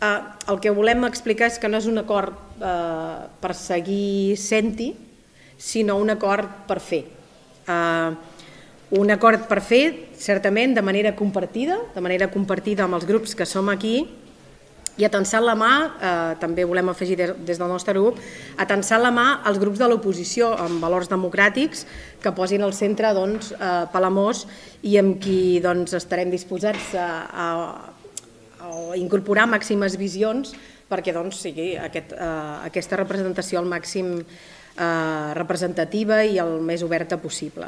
El que volem explicar és que no és un acord per seguir sent-hi, sinó un acord per fer. Un acord per fer, certament, de manera compartida amb els grups que som aquí, i atensant la mà, també volem afegir des del nostre grup, atensant la mà als grups de l'oposició amb valors democràtics que posin al centre Palamós i amb qui estarem disposats a incorporar màximes visions perquè sigui aquesta representació al màxim representativa i el més oberta possible.